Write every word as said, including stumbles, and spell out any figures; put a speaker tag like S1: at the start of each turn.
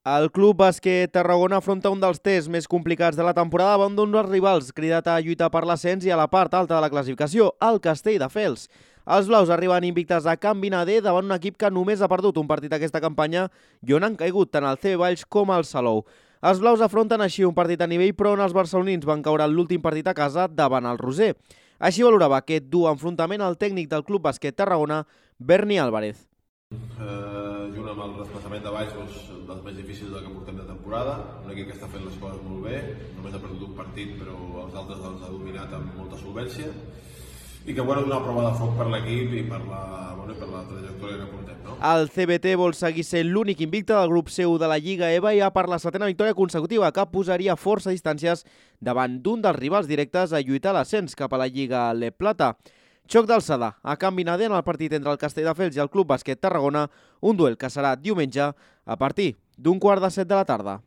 S1: El Club Bàsquet Tarragona afronta un dels tests més complicats de la temporada davant d'un dels rivals cridat a lluitar per l'ascens i a la part alta de la classificació, el Castelldefels. Els blaus arriben invictes a Can Vinader davant un equip que només ha perdut un partit aquesta campanya i on han caigut tant el C B Valls com el Salou. Els blaus afronten així un partit a nivell però on els barcelonins van caure l'últim partit a casa davant el Roser. Així valorava aquest dur enfrontament el tècnic del Club Bàsquet Tarragona, Berni Álvarez.
S2: Eh, junt amb el desplaçament de baix, doncs, dels més difícils del que portem de temporada, un equip que està fent les coses molt bé, només ha perdut un partit però els altres els ha dominat amb molta solvència i que bueno, donar prova de foc per l'equip i per la, bueno, per la trajectòria que portem, no?
S1: El C B T vol seguir sent l'únic invicte del grup C u de la Lliga EVA i ha per la setena victòria consecutiva que posaria força distàncies davant d'un dels rivals directes a lluitar l'ascens cap a la Lliga Le Plata. Xoc d'alçada a Can Vinader en el partit entre el Castelldefels i el Club Bàsquet Tarragona, un duel que serà diumenge a partir d'un quart de set de la tarda.